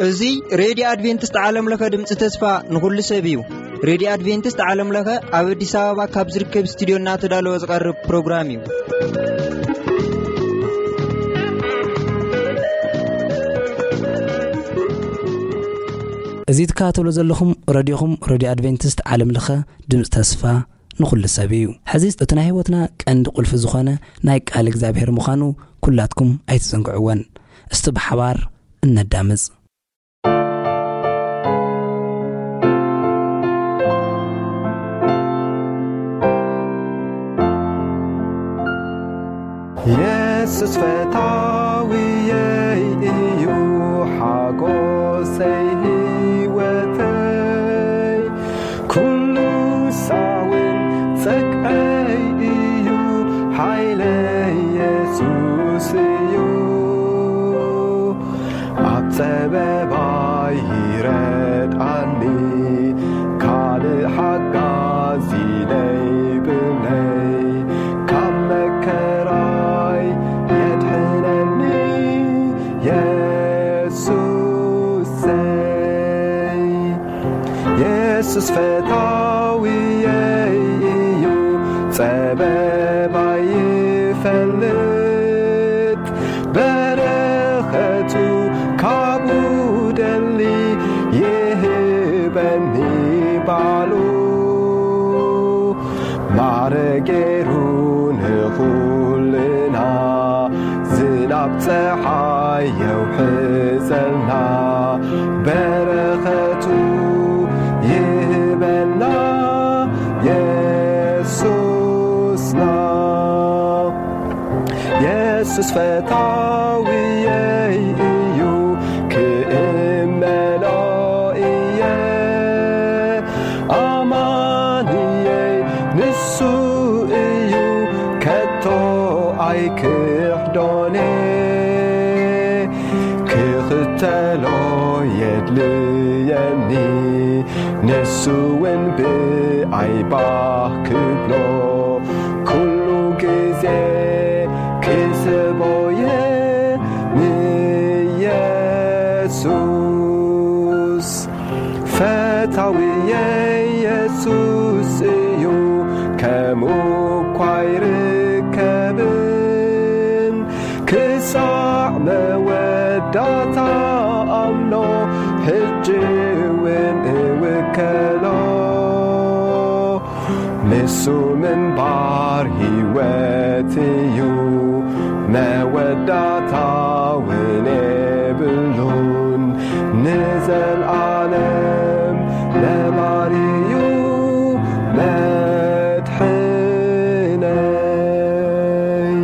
እዚ ሬድዮ ኣድቬንቲስት ዓለም ለኸ ድምፂ ተስፋ ንኹሉ ሰብ እዩ። ሬድዮ ኣድቬንቲስት ዓለም ለኸ ኣብ ኣዲስ ኣበባ ካብ ዝርከብ ስቱዲዮ እናተዳለወ ዝቐርብ ፕሮግራም እዩ። እዚ ትከታተሉ ዘለኹም ረድዮኹም፣ ረድዮ ኣድቬንቲስት ዓለም ለኸ ድምፂ ተስፋ ንኹሉ ሰብ እዩ። ሕዚ እቲ ናይ ህይወትና ቀንዲ ቁልፊ ዝኾነ ናይ ቃል እግዚኣብሔር ምዃኑ ኩላትኩም ኣይትዘንግዕወን። እስቲ ብሓባር እነዳምፅ። የሱስ ፈታዊየይ እዩ፣ ሓጎሰይ ህይወተይ፣ ኩሉ ሳውን ጸግዐይ እዩ፣ ሓይለይ የሱስ እዩ። ኣብ ጸበባይ ይረድኣኒ፣ ካልእ ሓጋዚ ዘይብለይ፣ ካብ መከራይ የድሕነኒ የሱሰይ። የሱስ ፈታዊየይ እዩ፣ ጸበባይ ይፈልጥ፣ በረኸቱ ካብኡ ደሊ፣ ይህበኒ ባሉ። ማዕረ ገይሩ ንኹልና፣ ዝናብ ጸሓይ የውሕዘልና፣ በረኸቱ ይህበና የሱስና። የሱስ ፈታዊየይ እዩ፣ ክእመኖ እየ። ኣማንየይ ንሱ እዩ፣ ከቶ ኣይክሕዶን። ክኽተሎ የድልየኒ፣ ንሱ እውን ብኣይ ባህ ክብሎ፣ ኩሉ ግዜ ክስቦየ ንየሱስ። ፈታዊ የሱስ እዩ፣ ከምኡ እኳ ኣይርከብን። ክሳዕ መወዳእታ ኣምኖ፣ ሕጂ እውን እውከሎ። ንሱ ምንባር ህይወት እዩ፣ መወዳእታ እውን የብሉን። ንዘልኣለም ነባሪ እዩ መድሕነይ።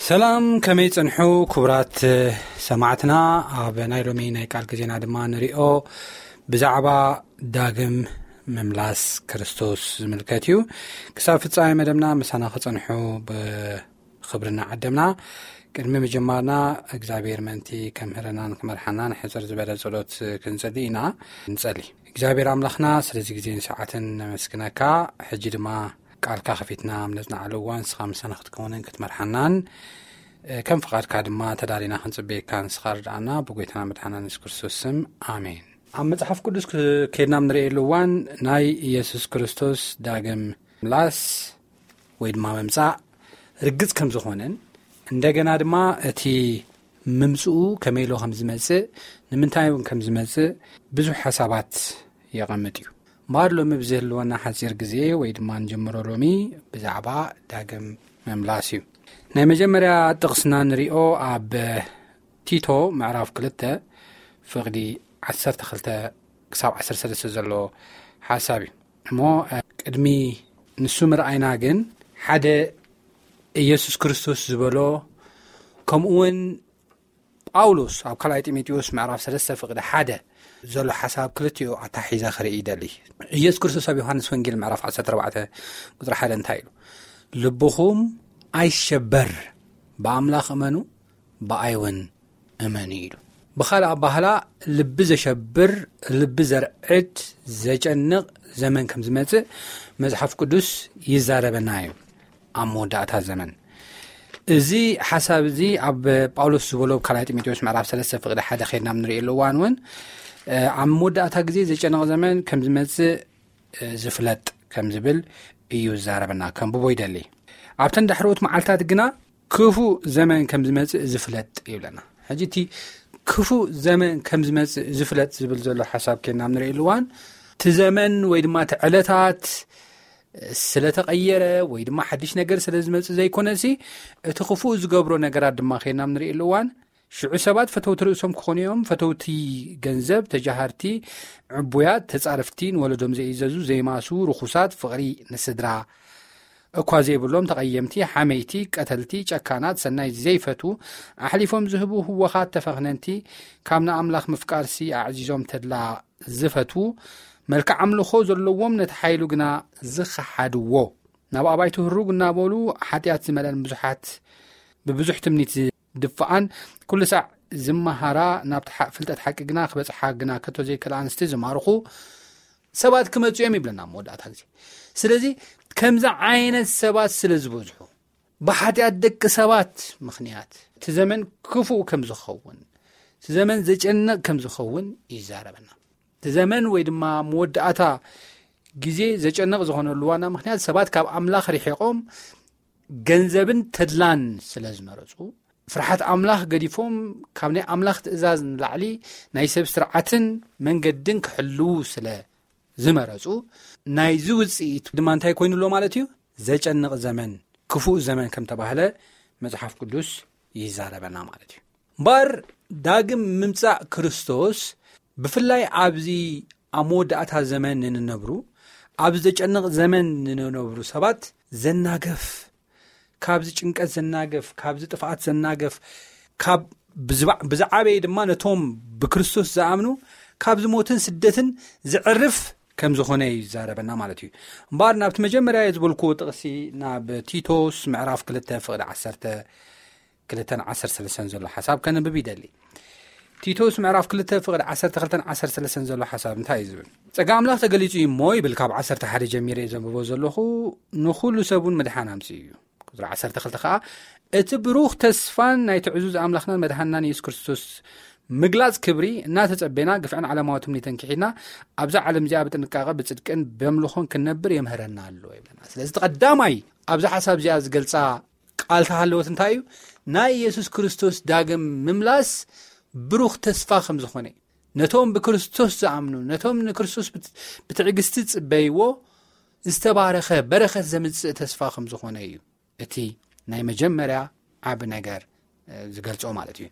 ሰላም፣ ከመይ ጸንሑ ክቡራት ሰማዕትና? ኣብ ናይ ሎሚ ናይ ቃል ግዜና ድማ ንሪኦ ብዛዕባ ዳግም ምምላስ ክርስቶስ ዝምልከት እዩ። ክሳብ ፍጻሜ መደብና ምሳና ክጸንሑ ብኽብሪ እናዓደምና፣ ቅድሚ ምጅማርና እግዚኣብሔር ምእንቲ ከምህረናን ክመርሓናን ሕጽር ዝበለ ጸሎት ክንጸሊ ኢና። ንጸሊ። እግዚኣብሔር ኣምላኽና፣ ስለዚ ግዜን ሰዓትን ነመስግነካ። ሕጂ ድማ ቃልካ ከፊትና ኣብ ነጽንዓሉ እዋን ንስኻ ምሳና ክትከውንን ክትመርሓናን፣ እ፣ ከም ፍቓድካ ድማ ተዳሊና ክንጽበየካ ንስኻ ርድኣና፣ ብጎይታና መድሓናን የሱስ ክርስቶስ ስም፣ ኣሜን። ኣብ መጽሓፍ ቅዱስ ክ-፣ ከይድና ኣብ ንርእየሉ እዋን፣ ናይ የሱስ ክርስቶስ ዳግም ምላስ ወይ ድማ ምምጻእ ርግጽ ከም ዝኾነን፣ እንደገና ድማ እቲ ምምጽኡ ከመይ ኢሉ ከም ዝመጽእ፣ ንምንታይ እውን ከም ዝመጽእ ብዙሕ ሓሳባት የቐምጥ እዩ። እምበኣር ሎሚ ብዝህልወና ሓጺር ግዜ ወይ ድማ ንጀምሮ ሎሚ ብዛዕባ ዳግም ምምላስ እዩ። ናይ መጀመርያ ጥቕስና ንሪኦ ኣብ ቲቶ ምዕራፍ ክልተ ፍቕዲ ዓሰርተ ክልተ ክሳብ ዓሰርተ ሰለስተ ዘሎ ሓሳብ እዩ። እሞ፣ እ፣ ቅድሚ ንሱ ምርኣይና ግን ሓደ ኢየሱስ ክርስቶስ ዝበሎ፣ ከምኡ እውን ጳውሎስ ኣብ ካልኣይ ጢሞቴዎስ ምዕራፍ ሰለስተ ፍቕዲ ሓደ ዘሎ ሓሳብ ክልቲኡ ኣታሒዘ ክርኢ ይደሊ። ኢየሱስ ክርስቶስ ኣብ ዮሃንስ ወንጌል ምዕራፍ ዓሰርተ ኣርባዕተ ቁጽሪ ሓደ እንታይ ኢሉ? "ልብኹም ኣይሸበር፣ ብኣምላኽ እመኑ፣ ብኣይ እውን እመኑ" ኢሉ። ብኻልእ ኣባህላ፣ ልቢ ዘሸብር፣ ልቢ ዘርዕድ፣ ዘጨንቕ ዘመን ከም ዝመጽእ መጽሓፍ ቅዱስ ይዛረበና እዩ። ኣብ መወዳእታ ዘመን፣ እዚ ሓሳብ እዚ ኣብ ጳውሎስ ዝበሎ ኣብ ካልኣይ ጢሞቴዎስ ምዕራፍ ሰለስተ ፍቕዲ ሓደ ኸይድና ኣብ ንርእየሉ እዋን እውን፣ እ፣ ኣብ መወዳእታ ግዜ ዘጨንቕ ዘመን ከም ዝመጽእ፣ እ፣ ዝፍለጥ ከም ዝብል እዩ ዝዛረበና። ከንብቦ ይደሊ። "ኣብተን ዳሕረዎት መዓልታት ግና ክፉእ ዘመን ከም ዝመጽእ ዝፍለጥ" ይብለና። ሕጂ እቲ ክፉእ ዘመን ከም ዝመጽእ ዝፍለጥ ዝብል ዘሎ ሓሳብ ኬና ኣብ ንርእየሉ እዋን፣ እቲ ዘመን ወይ ድማ እቲ ዕለታት ስለ ተቐየረ ወይ ድማ ሓድሽ ነገር ስለ ዝመጽእ ዘይኮነሲ፣ እቲ ክፉእ ዝገብሮ ነገራት ድማ ኬና ኣብ ንርእየሉ እዋን፣ ሽዑ ሰባት ፈተውቲ ርእሶም ክኾኑ እዮም፣ ፈተውቲ ገንዘብ፣ ተጃሃርቲ፣ ዕቡያት፣ ተጻረፍቲ፣ ንወለዶም ዘይእዘዙ፣ ዘይማሱ፣ ርኹሳት፣ ፍቕሪ ንስድራ እኳ ዘይብሎም፣ ተቐየምቲ፣ ሓመይቲ፣ ቀተልቲ፣ ጨካናት፣ ሰናይ ዘይፈቱ፣ ኣሕሊፎም ዝህቡ፣ ህወኻት፣ ተፈኽነንቲ፣ ካብ ንኣምላኽ ምፍቃርሲ ኣዕዚዞም ተድላ ዝፈትዉ፣ መልክዕ ኣምልኾ ዘለዎም፣ ነቲ ሓይሉ ግና ዝኸሓድዎ፣ ናብ ኣባይቱ ህሩግ እናበሉ ሓጢኣት ዝመልአን ብዙሓት ብብዙሕ ትምኒት ዝድፍኣን፣ ኩሉ ሳዕ ዝመሃራ፣ ናብቲ ሓ-፣ ፍልጠት ሓቂ ግና ክበጽሓ ግና ከቶ ዘይክእላ ኣንስቲ ዝማርኹ ሰባት ክመጹ እዮም ይብለና ኣብ መወዳእታ ግዜ። ስለዚ ከምዚ ዓይነት ሰባት ስለ ዝበዝሑ፣ ብሓጢኣት ደቂ ሰባት ምኽንያት እቲ ዘመን ክፉእ ከም ዝኸውን፣ እቲ ዘመን ዘጨንቕ ከም ዝኸውን ይዛረበና። እቲ ዘመን ወይ ድማ መወዳእታ ግዜ ዘጨንቕ ዝኾነሉ ዋና ምኽንያት ሰባት ካብ ኣምላኽ ርሒቖም ገንዘብን ተድላን ስለ ዝመረጹ፣ ፍርሓት ኣምላኽ ገዲፎም ካብ ናይ ኣምላኽ ትእዛዝ ንላዕሊ ናይ ሰብ ስርዓትን መንገድን ክሕልዉ ስለ ዝመረጹ፣ ናይዚ ውጽኢት ድማ እንታይ ኮይኑ ኣሎ ማለት እዩ? ዘጨንቕ ዘመን፣ ክፉእ ዘመን ከም ተባህለ መጽሓፍ ቅዱስ ይዛረበና ማለት እዩ። እምበኣር ዳግም ምምጻእ ክርስቶስ ብፍላይ ኣብዚ ኣብ መወዳእታ ዘመን ንንነብሩ፣ ኣብ ዘጨንቕ ዘመን ንንነብሩ ሰባት ዘናገፍ፣ ካብዚ ጭንቀት ዘናገፍ፣ ካብዚ ጥፍኣት ዘናገፍ፣ ካብ ብዝባ-፣ ብዝዓበየ ድማ ነቶም ብክርስቶስ ዝኣምኑ ካብዚ ሞትን ስደትን ዘዕርፍ ከም ዝኾነ እዩ ዝዛረበና ማለት እዩ። እምበኣር ናብቲ መጀመርያ ዝበልክዎ ጥቕሲ፣ ናብ ቲቶስ ምዕራፍ ክልተ ፍቕዲ ዓሰርተ ክልተን ዓሰርተ ሰለስተን ዘሎ ሓሳብ ከንብብ ይደሊ። ቲቶስ ምዕራፍ ክልተ ፍቕዲ ዓሰርተ ክልተን ዓሰርተ ሰለስተን ዘሎ ሓሳብ እንታይ እዩ ዝብል? "ጸጋ ኣምላኽ ተገሊጹ እዩ እሞ" ይብል፣ ካብ ዓሰርተ ሓደ ጀሚረ እየ ዘንብቦ ዘለኹ፣ "ንኹሉ ሰብ እውን ምድሓን ኣምጺኡ" እዩ። ቁጽሪ ዓሰርተ ክልተ ከኣ፣ "እቲ ብሩኽ ተስፋን ናይቲ ዕዙዝ ኣምላኽናን መድሓንናን የሱስ ክርስቶስ ምግላጽ ክብሪ እናተጸቤና፣ ግፍዕን ዓለማዊ ትምኒትን ክሒድና፣ ኣብዛ ዓለም እዚኣ ብጥንቃቐ ብጽድቅን በምልኾን ክንነብር የምህረና ኣሎ" ይብለና። ስለዚ እቲ ቀዳማይ ኣብዚ ሓሳብ እዚኣ ዝገልጻ ቃል ተሃለወት እንታይ እዩ? ናይ የሱስ ክርስቶስ ዳግም ምምላስ ብሩኽ ተስፋ ከም ዝኾነ እዩ። ነቶም ብክርስቶስ ዝኣምኑ፣ ነቶም ንክርስቶስ ብት-፣ ብትዕግስቲ ዝጽበይዎ ዝተባረኸ በረኸት ዘምጽእ ተስፋ ከም ዝኾነ እዩ እቲ ናይ መጀመርያ ዓቢ ነገር፣ እ፣ ዝገልጾ ማለት እዩ።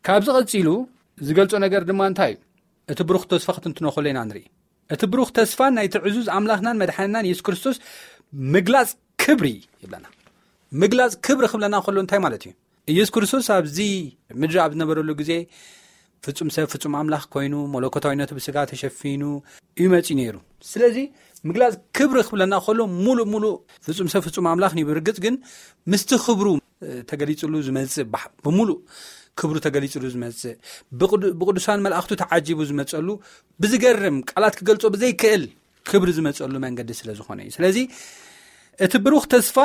ካብዚ ቀጺሉ ዝገልጾ ነገር ድማ እንታይ እዩ? እቲ ብሩኽ ተስፋ ክትንትኖ ከሎ ኢና ንርኢ። እቲ ብሩኽ ተስፋን ናይቲ ዕዙዝ ኣምላኽናን መድሓንናን የሱስ ክርስቶስ ምግላጽ ክብሪ ይብለና። ምግላጽ ክብሪ ክብለና ከሎ እንታይ ማለት እዩ? ኢየሱስ ክርስቶስ ኣብዚ ምድሪ ኣብ ዝነበረሉ ግዜ ፍጹም ሰብ ፍጹም ኣምላኽ ኮይኑ፣ መለኮታዊነቱ ብስጋ ተሸፊኑ እዩ መጺኡ ነይሩ። ስለዚ ምግላጽ ክብሪ ክብለና ከሎ፣ ሙሉእ ሙሉእ ፍጹም ሰብ ፍጹም ኣምላኽ እዩ። ብርግጽ ግን ምስቲ ክብሩ፣ እ፣ ተገሊጹሉ ዝመጽእ፣ ባሕ-፣ ብሙሉእ ክብሩ ተገሊጹሉ ዝመጽእ፣ ብቕዱ-፣ ብቅዱሳን መላእኽቱ ተዓጂቡ ዝመጸሉ፣ ብዝገርም ቃላት ክገልጾ ብዘይክእል ክብሪ ዝመጸሉ መንገዲ ስለ ዝኾነ እዩ። ስለዚ እቲ ብሩኽ ተስፋ፣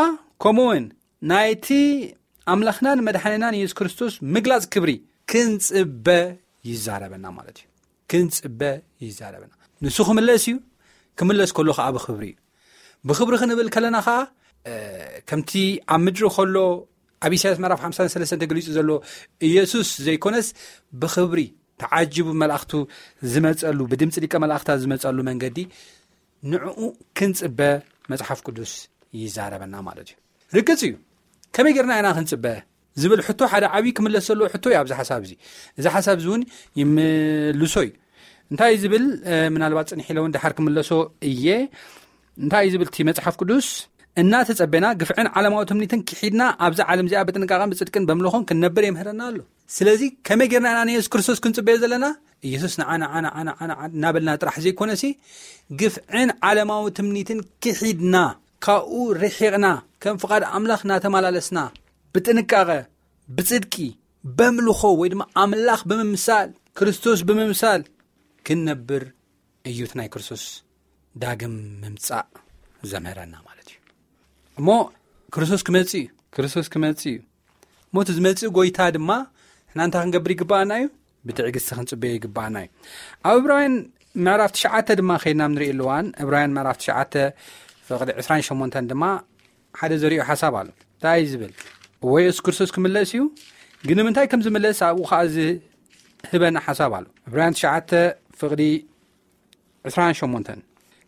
ከምኡ እውን ናይቲ ኣምላኽናን መድሓኒናን የሱስ ክርስቶስ ምግላጽ ክብሪ ክንጽበ ይዛረበና ማለት እዩ። ክንጽበ ይዛረበና። ንሱ ክምለስ እዩ። ክምለስ ከሎ ኸዓ ብኽብሪ እዩ። ብኽብሪ ክንብል ከለና ኸዓ፣ እ፣ ከምቲ ኣብ ምድሪ ከሎ ኣብ ኢሳያስ ምዕራፍ ሓምሳን ሰለስተን ተገሊጹ ዘሎ ኢየሱስ ዘይኮነስ፣ ብኽብሪ ተዓጂቡ መላእኽቱ ዝመጸሉ፣ ብድምጺ ሊቀ መላእኽታ ዝመጸሉ መንገዲ፣ ንዕኡ ክንጽበ መጽሓፍ ቅዱስ ይዛረበና ማለት እዩ። ርግጽ እዩ። ከመይ ጌርና ኢና ክንጽበ ዝብል ሕቶ ሓደ ዓብዪ ክምለስ ዘለዎ ሕቶ እዩ ኣብዚ ሓሳብ እዚ። እዚ ሓሳብ እዚ እውን ይምልሶ እዩ። እንታይ እዩ ዝብል? እ፣ ምናልባት ጽንሕ ኢለ እውን ደሓር ክምለሶ እየ። እንታይ እዩ ዝብል እቲ መጽሓፍ ቅዱስ? እናተጸበና ግፍዕን ዓለማዊ ትምኒትን ክሒድና ኣብዛ ዓለም እዚኣ ብጥንቃቐን ብጽድቅን በምልኾን ክንነብር የምህረና ኣሎ። ስለዚ ከመይ ጌርና ኢና ንየሱስ ክርስቶስ ክንጽበዮ ዘለና? ኢየሱስ ንዓ ንዓ ንዓ ንዓ ንዓ እናበልና ጥራሕ ዘይኮነሲ፣ ግፍዕን ዓለማዊ ትምኒትን ክሒድና፣ ካብኡ ርሒቕና፣ ከም ፍቓድ ኣምላኽ እናተመላለስና፣ ብጥንቃቐ፣ ብጽድቂ፣ በምልኾ ወይ ድማ ኣምላኽ ብምምሳል፣ ክርስቶስ ብምምሳል ክንነብር እዩ እቲ ናይ ክርስቶስ ዳግም ምምጻእ ዘምህረና ማለት እዩ። እሞ ክርስቶስ ክመጽእ እዩ፣ ክርስቶስ ክመጽእ እዩ። እሞ እቲ ዝመጽእ ጎይታ ድማ ንሕና እንታይ ክንገብር ይግባኣና እዩ? ብትዕግስቲ ክንጽበዮ ይግባኣና እዩ። ኣብ ዕብራውያን ምዕራፍ ትሽዓተ ድማ ከይድና ንርኢ ኣለዋን። ዕብራውያን ምዕራፍ ትሽዓተ ፍቕዲ ዕስራን ሸሞንተን ድማ ሓደ ዘሪኦ ሓሳብ ኣሎ። እንታይ እዩ ዝብል? እወ፣ የሱስ ክርስቶስ ክምለስ እዩ፣ ግን ንምንታይ ከም ዝምለስ ኣብኡ ኸዓ ዝህበና ሓሳብ ኣሎ። ዕብራውያን ትሽዓተ ፍቕዲ ዕስራን ሸሞንተን፣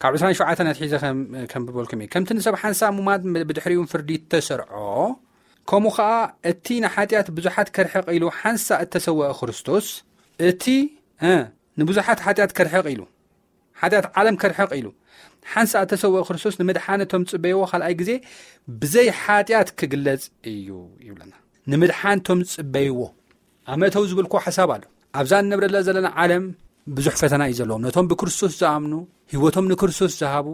ካብ ዕስራን ሸውዓተን ኣትሒዘ ከም-፣ ከንብበልኩም እየ። ከምቲ ንሰብ ሓንሳእ ሙማት ብድሕሪኡ ፍርዲ እተሰርዖ፣ ከምኡ ኸዓ እቲ ንሓጢኣት ብዙሓት ከርሕቕ ኢሉ ሓንሳእ እተሰወአ ክርስቶስ፣ እቲ፣ እ፣ ንብዙሓት ሓጢኣት ከርሕቕ ኢሉ፣ ሓጢኣት ዓለም ከርሕቕ ኢሉ ሓንሳእ እተሰወአ ክርስቶስ ንምድሓን እቶም ዝጽበይዎ ካልኣይ ግዜ ብዘይ ሓጢኣት ክግለጽ እዩ ይብለና። ንምድሓን እቶም ዝጽበይዎ ኣብ መእተዊ ዝብልኩ ሓሳብ ኣሎ። ኣብዛ እንነብረላ ዘለና ዓለም ብዙሕ ፈተና እዩ ዘለዎም። ነቶም ብክርስቶስ ዝኣምኑ፣ ህይወቶም ንክርስቶስ ዝሃቡ፣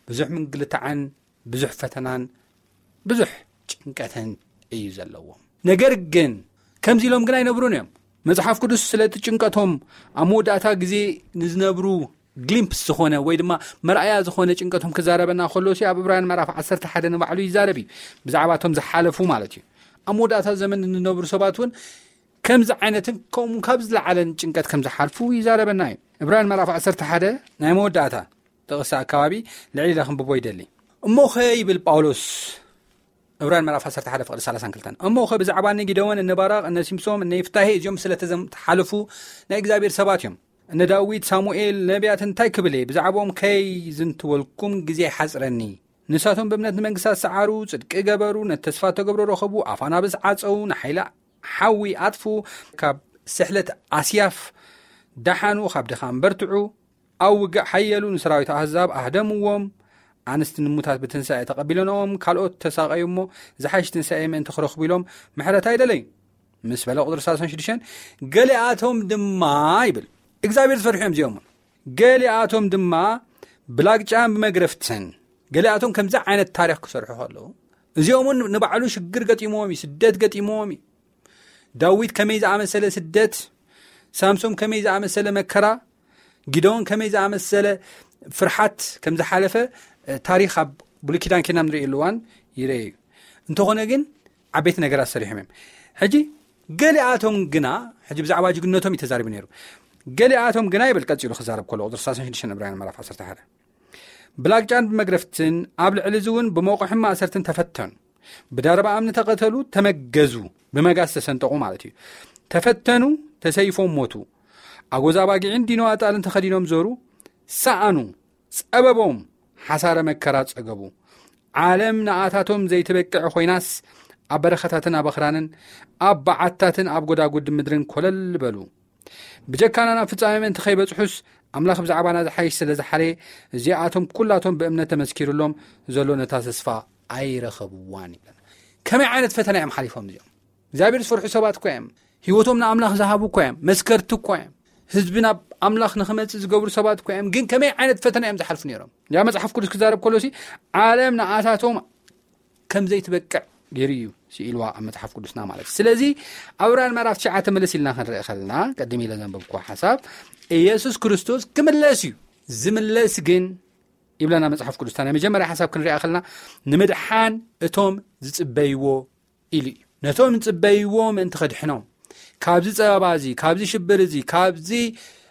ብዙሕ ምንግልታዕን ብዙሕ ፈተናን ብዙሕ ጭንቀትን እዩ ዘለዎም። ነገር ግን ከምዚ ኢሎም ግን ኣይነብሩን እዮም። መጽሓፍ ቅዱስ ስለቲ ጭንቀቶም ኣብ መወዳእታ ግዜ ንዝነብሩ ግሊምፕስ ዝኾነ ወይ ድማ መርኣያ ዝኾነ ጭንቀቶም ክዛረበና ከሎ ሲ ኣብ ዕብራውያን ምዕራፍ ዓሰርተ ሓደ ንባዕሉ ይዛረብ እዩ። ብዛዕባ እቶም ዝሓለፉ ማለት እዩ። ኣብ መወዳእታ ዘመን እንነብሩ ሰባት እውን ከምዚ ዓይነትን ከምኡ ካብ ዝለዓለን ጭንቀት ከም ዝሓልፉ ይዛረበና እዩ። ዕብራውያን ምዕራፍ ዓሰርተ ሓደ ናይ መወዳእታ ጥቕሲ ኣካባቢ ልዕሊ ኢለ ክንብቦ ይደሊ። እሞ ኸ ይብል ጳውሎስ፣ ዕብራውያን ምዕራፍ ዓሰርተ ሓደ ፍቕዲ ሰላሳን ክልተን፣ እሞ ኸ ብዛዕባ እነ ጊደዎን፣ እነ ባራቕ፣ እነ ሲምሶም፣ እነ ይፍታሄ፣ እዚኦም ስለ ተዘም-፣ ተሓለፉ ናይ እግዚኣብሔር ሰባት እዮም። እነ ዳዊት፣ ሳሙኤል፣ ነቢያት እንታይ ክብል እየ? ብዛዕባኦም ከይዝንትወልኩም ግዜ ይሓጽረኒ። ንሳቶም ብእምነት ንመንግስታት ሰዓሩ፣ ጽድቂ ገበሩ፣ ነቲ ተስፋ እተገብሮ ረኸቡ፣ ኣፍ ኣናብስ ዓጸዉ፣ ንሓይሊ ሓዊ ኣጥፍኡ፣ ካብ ስሕለት ኣስያፍ ደሓኑ፣ ካብ ድኻም በርትዑ፣ ኣብ ውግእ ሓየሉ፣ ንሰራዊት ኣህዛብ ኣህደምዎም። ኣንስቲ ንሙታት ብትንሳኤ ተቐቢለንኦም፣ ካልኦት ተሳቐዩ እሞ ዝሓይሽ ትንሳኤ ምእንቲ ክረኽቡ ኢሎም ምሕረት ኣይደለዩ። ምስ በለ ቁጽሪ ሰላሳን ሽዱሽተን፣ ገሊኣቶም ድማ ይብል፣ እግዚኣብሔር ዝፈርሑ እዮም እዚኦም። ገሊኣቶም ድማ ብላግጫን ብመግረፍትን፣ ገሊኣቶም ከምዚ ዓይነት ታሪኽ ክሰርሑ ከለዉ፣ እዚኦም እውን ንባዕሉ ሽግር ገጢምዎም እዩ፣ ስደት ገጢምዎም እዩ። ዳዊት ከመይ ዝኣመሰለ ስደት፣ ሳምሶም ከመይ ዝኣመሰለ መከራ፣ ጊደዎን ከመይ ዝኣመሰለ ፍርሓት ከም ዝሓለፈ፣ እ፣ ታሪኽ ኣብ ብሉይ ኪዳን ኬድና ንርእየሉ እዋን ይርአ እዩ። እንተኾነ ግን ዓበይቲ ነገራት ሰሪሖም እዮም። ሕጂ ገሊኣቶም ግና፣ ሕጂ ብዛዕባ ጅግነቶም እዩ ተዛሪቡ ነይሩ። ገሊኣቶም ግና ይብል ቀጺሉ ክዛረብ ከሎ ቁጽሪ ሰላሳን ሽዱሽተን ዕብራውያን ምዕራፍ ዓሰርተ ሓደ፣ ብላግጫን ብመግረፍትን ኣብ ልዕሊ እዚ እውን ብመቑሕን ማእሰርትን ተፈተኑ። ብዳርባ እምኒ ተቐተሉ፣ ተመገዙ፣ ብመጋዝ ተሰንጠቑ ማለት እዩ። ተፈተኑ፣ ተሰይፎም ሞቱ። ኣጎዛ ኣባጊዕን ዲኖ ኣጣልን ተኸዲኖም ዞሩ፣ ሰኣኑ፣ ጸበቦም፣ ሓሳረ መከራ ጸገቡ። ዓለም ንኣታቶም ዘይትበቅዕ ኮይናስ፣ ኣብ በረኻታትን ኣብ ኣኽራንን ኣብ በዓትታትን ኣብ ጎዳጉዲ ምድርን ኮለል በሉ። ብጀካና ናብ ፍጻሜ ምእንቲ ከይበጽሑስ፣ ኣምላኽ ብዛዕባና ዝሓይሽ ስለ ዝሓለየ፣ እዚኣቶም ኩላቶም ብእምነት ተመስኪሩሎም ዘሎ ነታ ተስፋ ኣይረኸብዋን ይብለና። ከመይ ዓይነት ፈተና እዮም ሓሊፎም እዚኦም? እግዚኣብሔር ዝፈርሑ ሰባት እኮ እዮም። ህይወቶም ንኣምላኽ ዝሃቡ እኮ እዮም። መስከርቲ እኮ እዮም። ህዝቢ ናብ ኣምላኽ ንኽመጽእ ዝገብሩ ሰባት እኮ እዮም። ግን ከመይ ዓይነት ፈተና እዮም ዝሓልፉ ነይሮም? ያ መጽሓፍ ቅዱስ ክዛረብ ከሎ ሲ፣ ዓለም ንኣታቶም ከም ዘይትበቅዕ ገይሩ እዩ ስኢልዋ ኣብ መጽሓፍ ቅዱስና ማለት እዩ። ስለዚ ኣብ ዕብራውያን ምዕራፍ ትሽዓተ መለስ ኢልና ክንርኢ ከለና፣ ቅድም ኢለ ዘንበብኩዎ ሓሳብ፣ ኢየሱስ ክርስቶስ ክምለስ እዩ። ዝምለስ ግን ይብለና መጽሓፍ ቅዱስና። ናይ መጀመርያ ሓሳብ ክንሪኣ ከለና፣ ንምድሓን እቶም ዝጽበይዎ ኢሉ እዩ። ነቶም ዝጽበይዎ ምእንቲ ከድሕኖም፣ ካብዚ ጸበባ እዚ፣ ካብዚ ሽብር እዚ፣ ካብዚ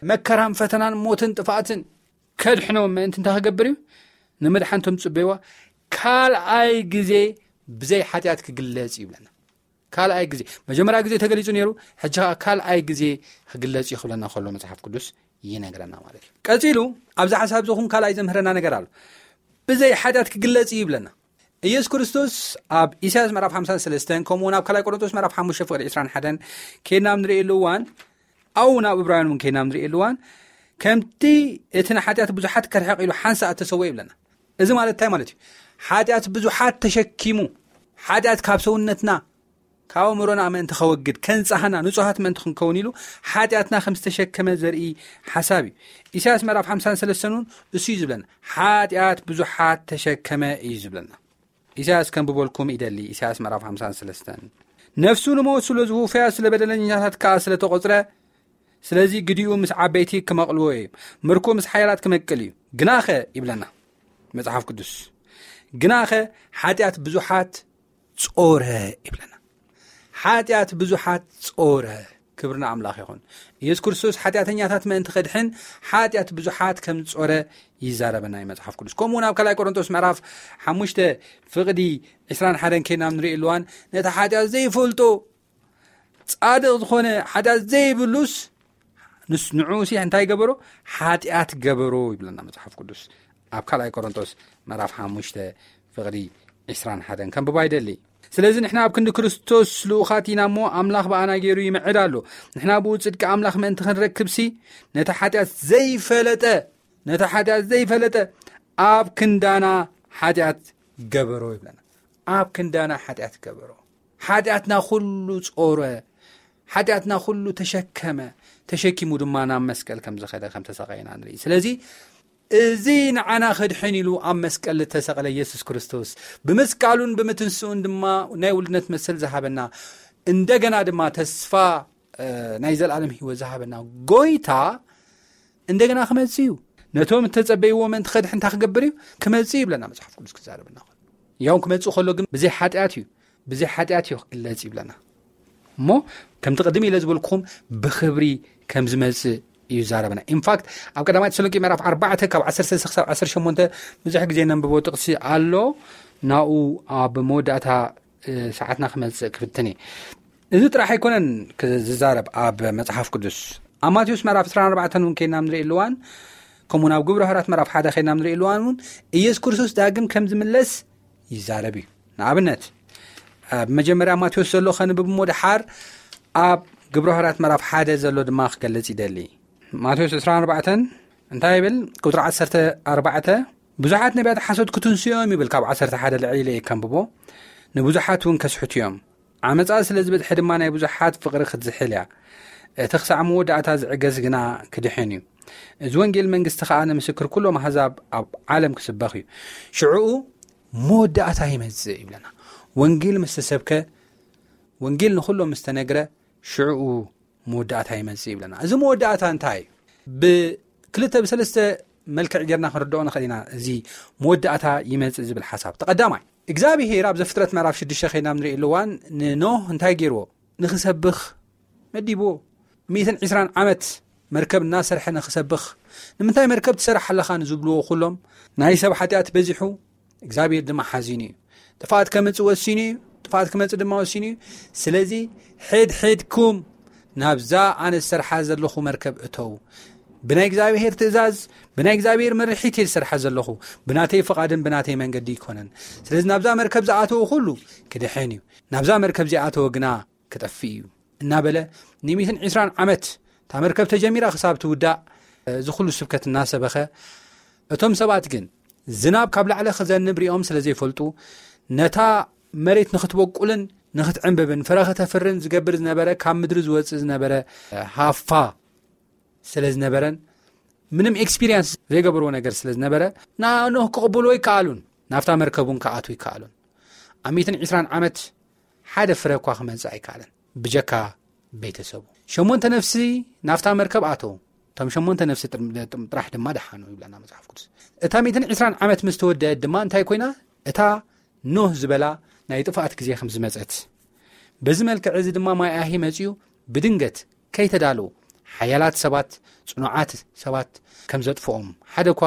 መከራን ፈተናን ሞትን ጥፍኣትን ከድሕኖም ምእንቲ እንታይ ክገብር እዩ? ንምድሓን እቶም ዝጽበይዎ ካልኣይ ግዜ ብዘይ ሓጢኣት ክግለጽ እዩ ይብለና። ካልኣይ ግዜ፣ መጀመርያ ግዜ ተገሊጹ ነይሩ፣ ሕጂ ኸዓ ካልኣይ ግዜ ክግለጽ እዩ ክብለና ከሎ መጽሓፍ ቅዱስ ይነግረና ማለት እዩ። ቀጺሉ ኣብዚ ሓሳብ እዚ ኹን ካልኣይ ዘምህረና ነገር ኣሎ። ብዘይ ሓጢኣት ክግለጽ እዩ ይብለና። ኢየሱስ ክርስቶስ ኣብ ኢሳያስ ምዕራፍ ሓምሳን ሰለስተን፣ ከምኡ እውን ኣብ ካልኣይ ቆሮንቶስ ምዕራፍ ሓሙሽተ ፍቕዲ ዕስራን ሓደን ኬድና ኣብ ንርእየሉ እዋን፣ ኣብኡ ናብ ዕብራውያን እውን ኬድና ኣብ ንርእየሉ እዋን፣ ከምቲ እቲ ንሓጢኣት ብዙሓት ከርሕቕ ኢሉ ሓንሳእ እተሰወ ይብለና። እዚ ማለት እንታይ ማለት እዩ? ሓጢኣት ብዙሓት ተሸኪሙ፣ ሓጢኣት ካብ ሰውነትና፣ ካብ ኣእምሮና ምእንቲ ከወግድ፣ ከንጻህና፣ ንጹሃት ምእንቲ ክንከውን ኢሉ ሓጢኣትና ከም ዝተሸከመ ዘርኢ ሓሳብ እዩ። ኢሳያስ ምዕራፍ ሓምሳን ሰለስተን እውን እሱ እዩ ዝብለና። ሓጢኣት ብዙሓት ተሸከመ እዩ ዝብለና። ኢሳያስ ከም ብበልኩም ይደሊ። ኢሳያስ ምዕራፍ ሓምሳን ሰለስተን፣ ነፍሱ ንሞት ስለ ዝውፈያ፣ ስለ በደለኛታት ከኣ ስለ ተቖጽረ፣ ስለዚ ግዲኡ ምስ ዓበይቲ ክመቕልዎ እዩ፣ ምርኮ ምስ ሓያላት ክመቅል እዩ። ግናኸ ይብለና መጽሓፍ ቅዱስ፣ ግናኸ ሓጢኣት ብዙሓት ጾረ ይብለና። ሓጢኣት ብዙሓት ጾረ። ክብርና ኣምላኽ ይኹን። ኢየሱስ ክርስቶስ ሓጢኣተኛታት ምእንቲ ከድሕን ሓጢኣት ብዙሓት ከም ጾረ ይዛረበና እዩ መጽሓፍ ቅዱስ። ከምኡ እውን ኣብ ካልኣይ ቆሮንቶስ ምዕራፍ ሓሙሽተ ፍቕዲ ዕስራን ሓደን ከይና ንርኢ ኣለዋን፣ ነቲ ሓጢኣት ዘይፈልጦ ጻድቕ ዝኾነ ሓጢኣት ዘይብሉስ ንስ-፣ ንዕኡ ሲ እንታይ ገበሮ? ሓጢኣት ገበሮ ይብለና መጽሓፍ ቅዱስ። ኣብ ካልኣይ ቆሮንቶስ ምዕራፍ ሓሙሽተ ፍቕዲ ዕስራን ሓደን ከንብባ ይደሊ። ስለዚ ንሕና ኣብ ክንዲ ክርስቶስ ልኡኻት ኢና እሞ፣ ኣምላኽ ብኣና ገይሩ ይምዕድ ኣሎ። ንሕና ብኡ ጽድቂ ኣምላኽ ምእንቲ ክንረክብሲ፣ ነቲ ሓጢኣት ዘይፈለጠ፣ ነቲ ሓጢኣት ዘይፈለጠ ኣብ ክንዳና ሓጢኣት ገበሮ ይብለና። ኣብ ክንዳና ሓጢኣት ገበሮ። ሓጢኣትና ኩሉ ጾረ፣ ሓጢኣትና ኩሉ ተሸከመ፣ ተሸኪሙ ድማ ናብ መስቀል ከም ዝኸደ ከም ተሰቃየና ንርኢ። ስለዚ እዚ ንዓና ከድሕን ኢሉ ኣብ መስቀል ዝተሰቕለ ኢየሱስ ክርስቶስ፣ ብምስቃሉን ብምትንስኡን ድማ ናይ ውልድነት መሰል ዝሃበና፣ እንደገና ድማ ተስፋ፣ እ፣ ናይ ዘለኣለም ህይወት ዝሃበና ጎይታ እንደገና ክመጽእ እዩ። ነቶም እተጸበይዎ ምእንቲ ከድሕን እንታይ ክገብር እዩ? ክመጽእ እዩ ይብለና መጽሓፍ ቅዱስ ክዛረበና ከሎ። ያው ክመጽእ ከሎ ግን ብዘይ ሓጢኣት እዩ። ብዘይ ሓጢኣት እዩ ክግለጽ ይብለና። እሞ ከምቲ ቅድም ኢለ ዝበልኩኹም ብኽብሪ ከም ዝመጽእ እዩ ዛረበና። ኢንፋክት ኣብ ቀዳማይ ተሰሎንቄ ምዕራፍ ኣርባዕተ ካብ ዓሰርተ ክሳብ ዓሰርተ ሸሞንተ ብዙሕ ግዜ ነንብቦ ጥቕሲ ኣሎ። ናኡ ኣብ መወዳእታ፣ እ፣ ሰዓትና ክመጽእ ክፍትን እየ። እዚ ጥራሕ ኣይኮነን ክ-፣ ዝዛረብ ኣብ መጽሓፍ ቅዱስ። ኣብ ማቴዎስ ምዕራፍ ዕስራን ኣርባዕተን እውን ከይና ንርኢ ኣለዋን፣ ከምኡውን ኣብ ግብረ ሃዋርያት ምዕራፍ ሓደ ከይና ንርኢ ኣለዋን እውን ኢየሱስ ክርስቶስ ዳግም ከም ዝምለስ ይዛረብ እዩ። ንኣብነት፣ ኣብ መጀመርያ ማቴዎስ ዘሎ ከንብብ እሞ ደሓር ኣብ ግብረ ሃዋርያት ምዕራፍ ሓደ ዘሎ ድማ ክገልጽ ይደሊ። ማቴዎስ ዕስራን ኣርባዕተን እንታይ ይብል? ቁጽሪ ዓሰርተ ኣርባዕተ፣ ብዙሓት ነቢያት ሓሶት ክትንስኡ እዮም ይብል። ካብ ዓሰርተ ሓደ ልዕሊ ኢለ እየ ከንብቦ። ንብዙሓት እውን ከስሕቱ እዮም። ዓመጻ ስለ ዝበዝሐ ድማ ናይ ብዙሓት ፍቕሪ ክትዝሕል እያ። እቲ ክሳዕ መወዳእታ ዝዕገስ ግና ክድሕን እዩ። እዚ ወንጌል መንግስቲ ከኣ ንምስክር ኩሎም ኣህዛብ ኣብ ዓለም ክስበኽ እዩ። ሽዕኡ መወዳእታ ይመጽእ ይብለና። ወንጌል ምስ ተሰብከ፣ ወንጌል ንኹሎም ምስ ተነግረ፣ ሽዕኡ መወዳእታ ይመጽእ ይብለና። እዚ መወዳእታ እንታይ እዩ? ብክልተ ብሰለስተ መልክዕ ጌርና ክንርድኦ ንኽእል ኢና። እዚ መወዳእታ ይመጽእ ዝብል ሓሳብ፣ ተቐዳማይ እግዚኣብሄር ኣብ ዘፍጥረት ምዕራፍ ሽዱሽተ ከይና ንርኢ ኣለዋን ንኖህ እንታይ ገይርዎ? ንኽሰብኽ መዲብዎ። ሚእትን ዕስራን ዓመት መርከብ እናሰርሐ ንኽሰብኽ። ንምንታይ መርከብ ትሰርሕ ኣለኻ ንዝብልዎ ኩሎም፣ ናይ ሰብ ሓጢኣት በዚሑ፣ እግዚኣብሔር ድማ ሓዚኑ እዩ። ጥፍኣት ከምጽእ ወሲኑ እዩ። ጥፍኣት ክመጽእ ድማ ወሲኑ እዩ። ስለዚ ሕድ ሕድኩም ናብዛ ኣነ ዝሰርሓ ዘለኹ መርከብ እተው። ብናይ እግዚኣብሔር ትእዛዝ፣ ብናይ እግዚኣብሔር መርሒት እየ ዝሰርሓ ዘለኹ። ብናተይ ፍቓድን ብናተይ መንገዲ ይኮነን። ስለዚ ናብዛ መርከብ ዝኣተወ ኩሉ ክድሕን እዩ። ናብዛ መርከብ ዚኣተወ ግና ክጠፍእ እዩ እናበለ ንሚእትን ዕስራን ዓመት እታ መርከብ ተጀሚራ ክሳብ ትውዳእ እዚ ኩሉ ስብከት እናሰበኸ፣ እቶም ሰባት ግን ዝናብ ካብ ላዕሊ ክዘንብ ሪኦም ስለ ዘይፈልጡ፣ ነታ መሬት ንኽትበቁልን ንኽትዕንብብን ፍረ ከተፍርን ዝገብር ዝነበረ ካብ ምድሪ ዝወጽእ ዝነበረ ሃፋ ስለ ዝነበረን ምንም ኤክስፒሪየንስ ዘይገበርዎ ነገር ስለ ዝነበረ፣ ንኖህ ክቕብልዎ ይከኣሉን ናብታ መርከብ እውን ክኣትዉ ይከኣሉን። ኣብ ሚእትን ዕስራን ዓመት ሓደ ፍረ እኳ ክመጽእ ኣይከኣለን ብጀካ ቤተሰቡ። ሸሞንተ ነፍሲ ናብታ መርከብ ኣተዉ። እቶም ሸሞንተ ነፍሲ ጥር-፣ ጥም-፣ ጥራሕ ድማ ደሓኑ ይብለና መጽሓፍ ቅዱስ። እታ ሚእትን ዕስራን ዓመት ምስ ተወደአት ድማ እንታይ ኮይና? እታ ኖህ ዝበላ ናይ ጥፍኣት ግዜ ከም ዝመጸት፣ በዚ መልክዕ እዚ ድማ ማይ ኣሂ መጺኡ ብድንገት ከይተዳለዉ ሓያላት ሰባት፣ ጽኑዓት ሰባት ከም ዘጥፍኦም፣ ሓደ እኳ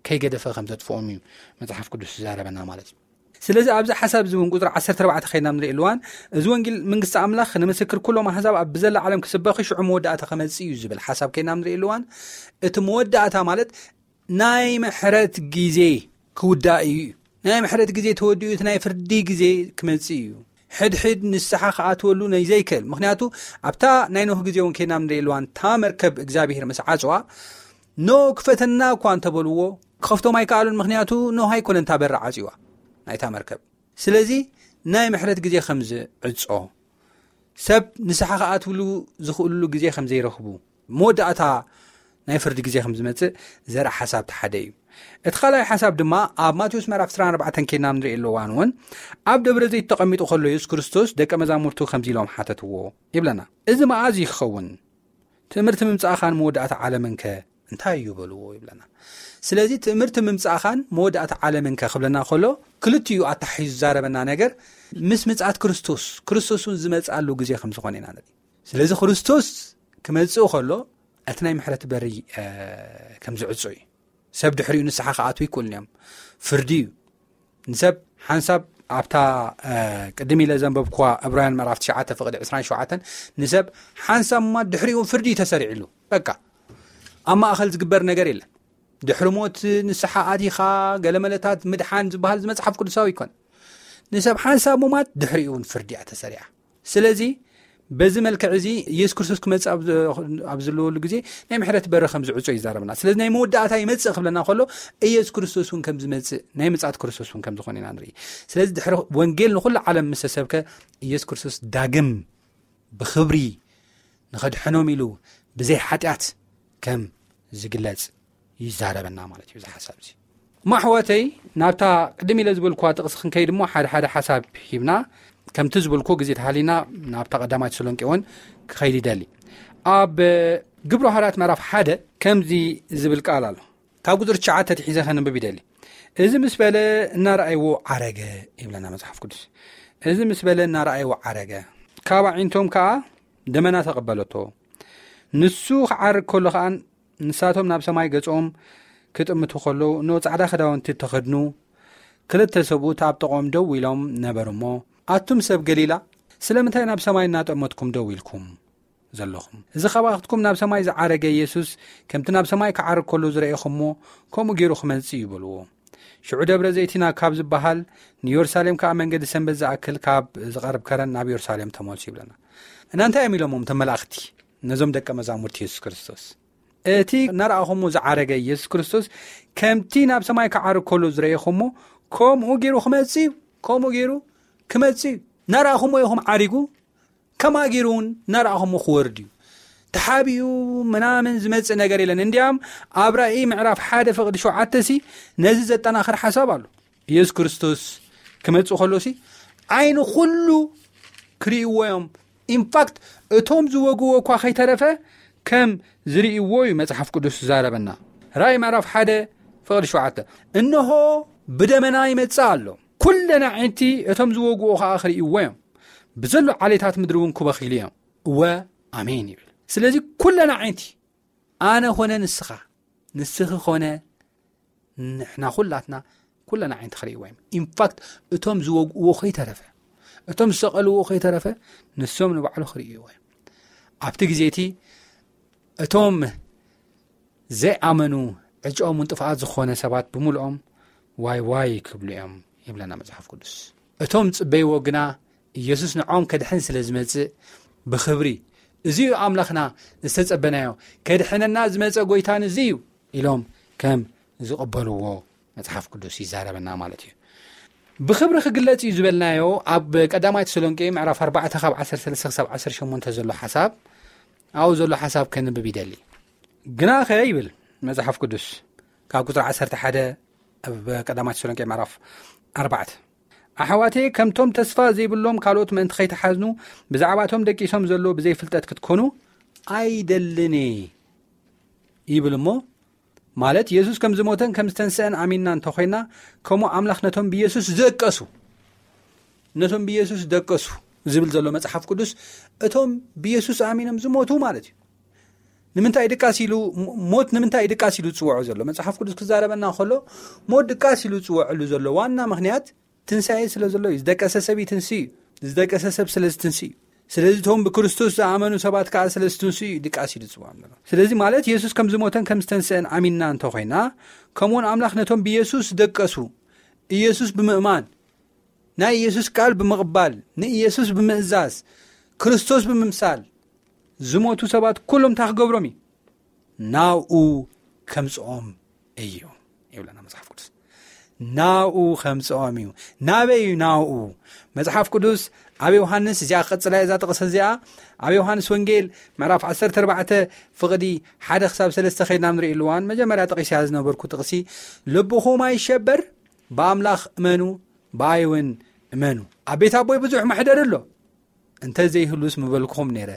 ከይገደፈ ከም ዘጥፍኦም እዩ መጽሓፍ ቅዱስ ዝዛረበና ማለት እዩ። ስለዚ ኣብዚ ሓሳብ እዚ እውን ቁጽሪ ዓሰርተ ኣርባዕተ ከይና ንርኢ ኣለዋን፣ እዚ ወንጌል መንግስቲ ኣምላኽ ንምስክር ኩሎም ኣህዛብ ኣብ ብዘላ ዓለም ክስበኽ ሽዑ መወዳእታ ክመጽእ እዩ ዝብል ሓሳብ ከይና ንርኢ ኣለዋን፣ እቲ መወዳእታ ማለት ናይ ምሕረት ግዜ ክውዳእ እዩ። ናይ ምሕረት ግዜ ተወዲኡ እቲ ናይ ፍርዲ ግዜ ክመጽእ እዩ። ሕድሕድ ንስሓ ክኣትወሉ ናይ ዘይክእል። ምኽንያቱ ኣብታ ናይ ኖህ ግዜ እውን ከይና ንርኢ ኣለዋን፣ እታ መርከብ እግዚኣብሔር ምስ ዓጽዋ፣ ኖ ክፈተና እኳ እንተበልዎ፣ ክኸፍቶም ኣይከኣሉን፣ ምኽንያቱ ኖህ ኣይኮነን እታ በር ዓጽዋ ናይታ መርከብ። ስለዚ ናይ ምሕረት ግዜ ከም ዝዕጾ፣ ሰብ ንስሓ ክኣትውሉ ዝኽእሉሉ ግዜ ከም ዘይረኽቡ፣ መወዳእታ ናይ ፍርዲ ግዜ ከም ዝመጽእ ዘርኢ ሓሳብ እቲ ሓደ እዩ። እቲ ካልኣይ ሓሳብ ድማ ኣብ ማቴዎስ ምዕራፍ ዕስራን ኣርባዕተን ኬድና ንርኢ ኣለዋን እውን ኣብ ደብረ ዘይት ተቐሚጡ ከሎ የሱስ ክርስቶስ ደቀ መዛሙርቱ ከምዚ ኢሎም ሓተትዎ ይብለና። "እዚ መኣዝ እዩ ክኸውን? ትእምርቲ ምምጻእኻን መወዳእታ ዓለምንከ እንታይ እዩ?" በልዎ ይብለና። ስለዚ ትእምርቲ ምምጻእኻን መወዳእታ ዓለምንከ ክብለና ከሎ ክልቲኡ ኣታሒዙ ዝዛረበና ነገር ምስ ምጽኣት ክርስቶስ፣ ክርስቶስ እውን ዝመጽኣሉ ግዜ ከም ዝኾነ ኢና ንርኢ። ስለዚ ክርስቶስ ክመጽእ ከሎ እቲ ናይ ምሕረት በሪ፣ እ፣ ከም ዝዕጾ እዩ። ሰብ ድሕሪኡ ንስሓ ክኣትዉ ይክእሉን እዮም። ፍርዲ እዩ። ንሰብ ሓንሳብ ኣብታ፣ እ፣ ቅድም ኢለ ዘንበብኩዋ ዕብራውያን ምዕራፍ ትሽዓተ ፍቕዲ ዕስራን ሸውዓተን፣ ንሰብ ሓንሳብ እማ ድሕሪኡ ፍርዲ እዩ ተሰሪዕሉ። በቃ ኣብ ማእኸል ዝግበር ነገር የለን። ድሕሪ ሞት ንስሓ ኣቲኻ ገለመለታት ምድሓን ዝበሃል እዚ መጽሓፍ ቅዱሳዊ ይኮን። ንሰብ ሓንሳብ ሙማት ድሕሪኡ እውን ፍርዲ እያ ተሰሪዓ። ስለዚ በዚ መልክዕ እዚ ኢየሱስ ክርስቶስ ክመጽእ ኣብ ዘ-፣ ኣብ ዘለወሉ ግዜ ናይ ምሕረት በሪ ከም ዝዕጾ ይዛረብና። ስለዚ ናይ መወዳእታ ይመጽእ ክብለና ከሎ ኢየሱስ ክርስቶስ እውን ከም ዝመጽእ፣ ናይ ምጽኣት ክርስቶስ እውን ከም ዝኾነ ኢና ንርኢ። ስለዚ ድሕሪ ወንጌል ንኹሉ ዓለም ምስ ተሰብከ ኢየሱስ ክርስቶስ ዳግም ብኽብሪ ንኸድሕኖም ኢሉ ብዘይ ሓጢኣት ከም ዝግለጽ ይዛረበና ማለት እዩ እዚ ሓሳብ እዚ። ማሕዋተይ፣ ናብታ ቅድም ኢለ ዝበልኩዋ ጥቕሲ ክንከይድ እሞ ሓደ ሓደ ሓሳብ ሂብና፣ ከምቲ ዝበልኩ ግዜ ተሃሊና ናብታ ቀዳማይ ተሰሎንቄ እውን ክኸይድ ይደሊ። ኣብ ግብሪ ሃዋርያት ምዕራፍ ሓደ ከምዚ ዝብል ቃል ኣሎ። ካብ ቁጽሪ ትሽዓተ ትሒዘ ከንብብ ይደሊ። "እዚ ምስ በለ እናረኣይዎ ዓረገ" ይብለና መጽሓፍ ቅዱስ። "እዚ ምስ በለ እናረኣይዎ ዓረገ፣ ካብ ኣዒንቶም ከኣ ደመና ተቐበለቶ። ንሱ ክዓርግ ከሎ ከኣ ንሳቶም ናብ ሰማይ ገጾም ክጥምቱ ከለዉ፣ እነሆ ጻዕዳ ክዳውንቲ እተኸድኑ ክልተ ሰብኡት ኣብ ጥቕኦም ደው ኢሎም ነበሩ እሞ፣ ኣቱም ሰብ ገሊላ፣ ስለምንታይ ናብ ሰማይ እናጠመትኩም ደው ኢልኩም ዘለኹም? እዚ ካባኽትኩም ናብ ሰማይ ዝዓረገ ኢየሱስ፣ ከምቲ ናብ ሰማይ ክዓርግ ከሎ ዝረኤኹሞ፣ ከምኡ ገይሩ ክመጽእ እዩ" በልዎ። ሽዑ ደብረ ዘይቲና ካብ ዝበሃል ንየሩሳሌም ከኣ መንገዲ ሰንበት ዝኣክል ካብ ዝቐርብ ከረን ናብ የሩሳሌም ተመልሱ ይብለና። እና እንታይ እዮም ኢሎሞም እቶም መላእኽቲ ነዞም ደቀ መዛሙርቲ የሱስ ክርስቶስ? እቲ እናረኣኹሞ ዝዓረገ ኢየሱስ ክርስቶስ ከምቲ ናብ ሰማይ ክዓርግ ከሎ ዝረኤኹሞ ከምኡ ገይሩ ክመጽእ እዩ፣ ከምኡ ገይሩ ክመጽእ እዩ። እናረኣኹሞ ኢኹም ዓሪጉ፣ ከምኣ ገይሩ እውን እናረኣኹሞ ክወርድ እዩ። ተሓቢኡ ምናምን ዝመጽእ ነገር የለን። እንዲያም ኣብ ራእይ ምዕራፍ ሓደ ፍቕዲ ሸውዓተ ሲ ነዚ ዘጠናኽር ሓሳብ ኣሎ። ኢየሱስ ክርስቶስ ክመጽእ ከሎ ሲ ዓይኒ ኩሉ ክርእይዎ እዮም። ኢንፋክት እቶም ዝወግዎ እኳ ከይተረፈ ከም ዝርእይዎ እዩ መጽሓፍ ቅዱስ ዝዛረበና። ራእይ ምዕራፍ ሓደ ፍቕዲ ሸውዓተ፣ "እንሆ ብደመና ይመጽእ ኣሎ፣ ኩለን ኣዒንቲ እቶም ዝወግዎ ከኣ ክርእይዎ እዮም፣ ብዘሎ ዓሌታት ምድሪ እውን ክበኽይሉ እዮም። እወ ኣሜን" ይብል። ስለዚ ኩለን ኣዒንቲ፣ ኣነ ኾነ ንስኻ፣ ንስኺ ኾነ ንሕና፣ ኩላትና፣ ኩለን ኣዒንቲ ክርእይዎ እዮም። ኢንፋክት እቶም ዝወግእዎ ከይተረፈ፣ እቶም ዝሰቐልዎ ከይተረፈ ንሶም ንባዕሉ ክርእይዎ እዮም። ኣብቲ ግዜ እቲ እቶም ዘይኣመኑ ዕጫኦም እውን ጥፍኣት ዝኾነ ሰባት ብምልኦም ዋይ ዋይ ክብሉ እዮም ይብለና መጽሓፍ ቅዱስ። እቶም ዝጽበይዎ ግና ኢየሱስ ንዖም ከድሕን ስለ ዝመጽእ ብኽብሪ፣ "እዚ እዩ ኣምላኽና ዝተጸበናዮ፣ ከድሕነና ዝመጸ ጎይታን እዚ እዩ" ኢሎም ከም ዝቕበልዎ መጽሓፍ ቅዱስ ይዛረበና ማለት እዩ። ብኽብሪ ክግለጽ እዩ ዝበልናዮ ኣብ ቀዳማይ ተሰሎንቄ ምዕራፍ ኣርባዕተ ካብ ዓሰርተ ሰለስተ ክሳብ ዓሰርተ ሸሞንተ ዘሎ ሓሳብ፣ ኣብኡ ዘሎ ሓሳብ ከንብብ ይደሊ። "ግናኸ" ይብል መጽሓፍ ቅዱስ ካብ ቁጽሪ ዓሰርተ ሓደ ኣብ ቀዳማይ ተሰሎንቄ ምዕራፍ ኣርባዕተ፣ "ኣሕዋተየ፣ ከምቶም ተስፋ ዘይብሎም ካልኦት ምእንቲ ከይትሓዝኑ፣ ብዛዕባቶም ደቂሶም ዘለዉ ብዘይፍልጠት ክትኮኑ ኣይደልን እየ" ይብል እሞ፣ ማለት የሱስ ከም ዝሞተን ከም ዝተንስአን ኣሚንና እንተኾይና፣ ከምኡ ኣምላኽ ነቶም ብየሱስ ዝደቀሱ፣ ነቶም ብየሱስ ዝደቀሱ ዝብል ዘሎ መጽሓፍ ቅዱስ፣ እቶም ብየሱስ ኣሚኖም ዝሞቱ ማለት እዩ። ንምንታይ ድቃስ ኢሉ፣ ሞ-፣ ሞት ንምንታይ ድቃስ ኢሉ ዝጽውዖ ዘሎ? መጽሓፍ ቅዱስ ክዛረበና ከሎ፣ ሞት ድቃስ ኢሉ ዝጽውዐሉ ዘሎ ዋና ምኽንያት ትንሳኤ ስለ ዘሎ እዩ። ዝደቀሰ ሰብ ይትንስእ እዩ። ዝደቀሰ ሰብ ስለ ዝትንስእ እዩ። ስለዚ እቶም ብክርስቶስ ዝኣመኑ ሰባት ከኣ ስለ ዝትንስኡ እዩ ድቃስ ኢሉ ዝጽውዖም ዘሎ። ስለዚ ማለት የሱስ ከም ዝሞተን ከም ዝተንስአን ኣሚንና እንተኾይና፣ ከምኡውን ኣምላኽ ነቶም ብየሱስ ዝደቀሱ፣ ኢየሱስ ብምእማን፣ ናይ ኢየሱስ ቃል ብምቕባል፣ ንኢየሱስ ብምእዛዝ፣ ክርስቶስ ብምምሳል ዝሞቱ ሰባት ኩሎም እንታይ ክገብሮም እዩ? ናብኡ ከምጽኦም እዩ። ይብለና መጽሓፍ ቅዱስ። ናብኡ ከምጽኦም እዩ። ናበይ እዩ ናብኡ? መጽሓፍ ቅዱስ ኣብ ዮሃንስ፣ እዚኣ ክቐጽላ እዛ ጥቕሲ እዚኣ፣ ኣብ ዮሃንስ ወንጌል ምዕራፍ ዓሰርተ ኣርባዕተ ፍቕዲ ሓደ ክሳብ ሰለስተ ከይድና ንርእየሉ እዋን፣ መጀመርያ ጠቒሰያ ዝነበርኩ ጥቕሲ፣ ልብኹም ኣይሸበር፣ ብኣምላኽ እመኑ፣ ብኣይ እውን እመኑ። ኣብ ቤት ኣቦይ ብዙሕ መሕደሪ ኣሎ፣ እንተ ዘይህሉስ ምበልኩኹም ነይረ።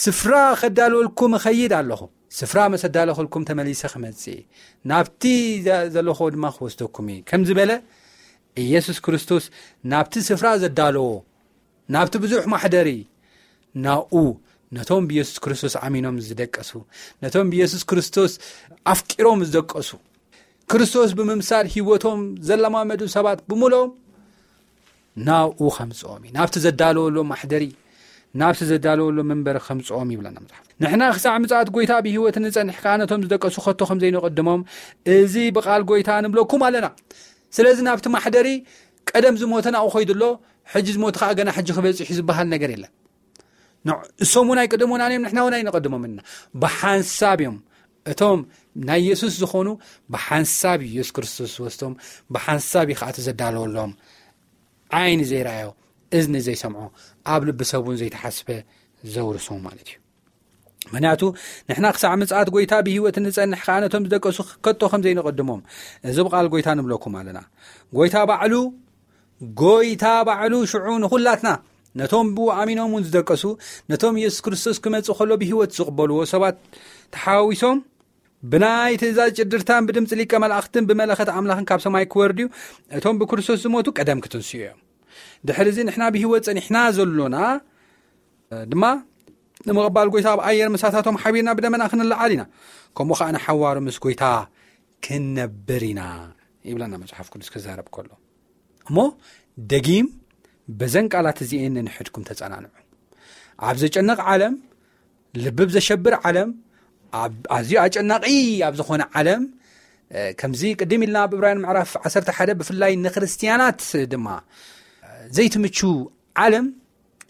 ስፍራ ከዳልወልኩም እኸይድ ኣለኹ። ስፍራ መሰ ኣዳለኹልኩም ተመሊሰ ክመጽእ እየ። ናብቲ ዘ-፣ ዘለኹዎ ድማ ክወስደኩም እየ ከም ዝበለ፣ ኢየሱስ ክርስቶስ ናብቲ ስፍራ ዘዳለዎ፣ ናብቲ ብዙሕ ማሕደሪ፣ ናብኡ፣ ነቶም ብኢየሱስ ክርስቶስ ኣሚኖም ዝደቀሱ፣ ነቶም ብኢየሱስ ክርስቶስ ኣፍቂሮም ዝደቀሱ፣ ክርስቶስ ብምምሳል ህይወቶም ዘለማመዱ ሰባት ብምሎም ናብኡ ከምጽኦም እዩ። ናብቲ ዘዳለወሎም ማሕደሪ፣ ናብቲ ዘዳለወሎም መንበሪ ከምጽኦም ይብለና መጽሓፍ። ንሕና ክሳዕ ምጽኣት ጎይታ ብህይወት ንጸንሕ ከኣ ነቶም ዝደቀሱ ከቶ ከም ዘይንቐድሞም፣ እዚ ብቓል ጎይታ ንብለኩም ኣለና። ስለዚ ናብቲ ማሕደሪ ቀደም ዝሞተ ናብኡ ኸይዱ ኣሎ፣ ሕጂ ዝሞተ ከኣ ገና ሕጂ ክበጽሕ እዩ ዝበሃል ነገር የለን። ንዕ-፣ እሶም እውን ኣይቅድሙናን እዮም፣ ንሕና እውን ኣይንቐድሞም ኢና። ብሓንሳብ እዮም። እቶም ናይ የሱስ ዝኾኑ ብሓንሳብ እዩ የሱስ ክርስቶስ ዝወስዶም፣ ብሓንሳብ እዩ ከኣ እቲ ዘዳለወሎም። ዓይኒ ዘይረኣዮ፣ እዝኒ ዘይሰምዖ፣ ኣብ ልቢ ሰብ እውን ዘይተሓስበ ዘውርሶም ማለት እዩ። ምኽንያቱ ንሕና ክሳዕ ምጽኣት ጎይታ ብህይወት እንጸንሕ ከኣ ነቶም ዝደቀሱ ከቶ ከም ዘይንቐድሞም፣ እዚ ብቓል ጎይታ ንብለኩም ኣለና። ጎይታ ባዕሉ፣ ጎይታ ባዕሉ ሽዑ ንኹላትና፣ ነቶም ብኡ ኣሚኖም እውን ዝደቀሱ፣ ነቶም የሱስ ክርስቶስ ክመጽእ ከሎ ብህይወት ዝቕበልዎ ሰባት ተሓዋዊሶም፣ ብናይ ትእዛዝ ጭድርታን ብድምጺ ሊቀ መላእኽትን ብመለኸት ኣምላኽን ካብ ሰማይ ክወርድ እዩ። እቶም ብክርስቶስ ዝሞቱ ቀደም ክትንስኡ እዮም። ድሕሪ እዚ ንሕና ብህይወት ጸኒሕና ዘሎና ድማ ንምቕባል ጎይታ ኣብ ኣየር ምሳታቶም ሓቢርና ብደመና ክንለዓል ኢና። ከምኡ ኸኣ ንሓዋሩ ምስ ጎይታ ክንነብር ኢና ይብለና መጽሓፍ ቅዱስ ክዛረብ ከሎ። እሞ ደጊም በዘን ቃላት እዚኤን ንንሕድኩም ተጸናንዑ። ኣብ ዘጨንቕ ዓለም፣ ልቢ ኣብ ዘሸብር ዓለም፣ ኣብ ኣዝዩ ኣጨናቒ ኣብ ዝኾነ ዓለም፣ እ፣ ከምዚ ቅድም ኢልና ኣብ ዕብራውያን ምዕራፍ ዓሰርተ ሓደ ብፍላይ ንክርስትያናት ድማ፣ እ፣ ዘይትምቹ ዓለም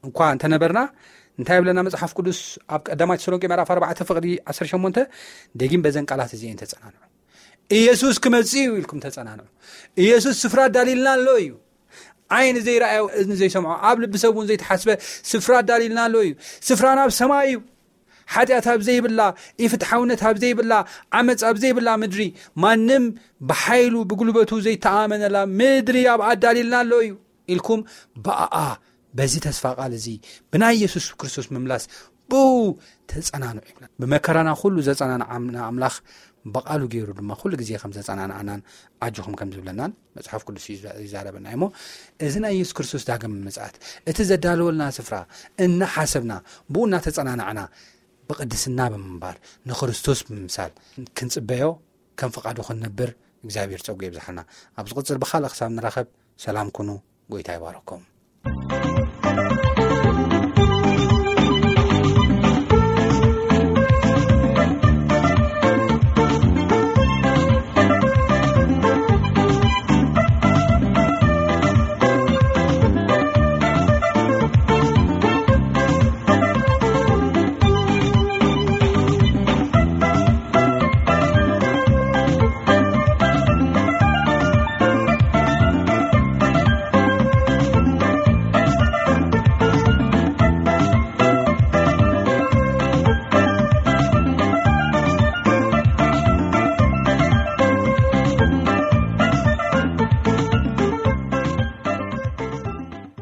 እኳ እንተነበርና፣ እንታይ ይብለና መጽሓፍ ቅዱስ ኣብ ቀዳማይ ተሰሎንቄ ምዕራፍ ኣርባዕተ ፍቕዲ ዓሰርተ ሸሞንተ? ደጊም በዘን ቃላት እዚኤን ተጸናንዑ። ኢየሱስ ክመጽእ እዩ ኢልኩም ተጸናንዑ። ኢየሱስ ስፍራ ኣዳሊልና ኣሎ እዩ። ዓይኒ ዘይረኣዮ፣ እዝኒ ዘይሰምዖ፣ ኣብ ልቢ ሰብ እውን ዘይተሓስበ ስፍራ ኣዳሊልና ኣሎ እዩ። ስፍራ ናብ ሰማይ እዩ። ሓጢኣት ኣብ ዘይብላ፣ ኢፍትሓውነት ኣብ ዘይብላ፣ ዓመፅ ኣብ ዘይብላ ምድሪ፣ ማንም ብሓይሉ ብጉልበቱ ዘይተኣመነላ ምድሪ ኣብ ኣዳሊልና ኣሎ እዩ ኢልኩም ብኣኣ፣ በዚ ተስፋ ቃል እዚ ብናይ የሱስ ክርስቶስ ምምላስ ብኡ ተጸናንዑ ይብለና። ብመከራና ኩሉ ዘጸናንዓና ኣምላኽ ብቓሉ ገይሩ ድማ ኩሉ ግዜ ከም ዘጸናንዓናን ኣጆኹም ከም ዝብለናን መጽሓፍ ቅዱስ ይዛ-፣ ይዛረበና እዩ። እሞ እዚ ናይ የሱስ ክርስቶስ ዳግም ምጽኣት፣ እቲ ዘዳለወልና ስፍራ እናሓሰብና፣ ብኡ እናተጸናናዕና፣ ብቕድስና ብምንባር፣ ንክርስቶስ ብምምሳል ክንጽበዮ፣ ከም ፍቓዱ ክንነብር እግዚኣብሔር ጸጉ የብዝሓልና። ኣብ ዝቕጽል ብኻልእ ክሳብ ንራኸብ ሰላም ኩኑ። ጎይታ ይባረኩም።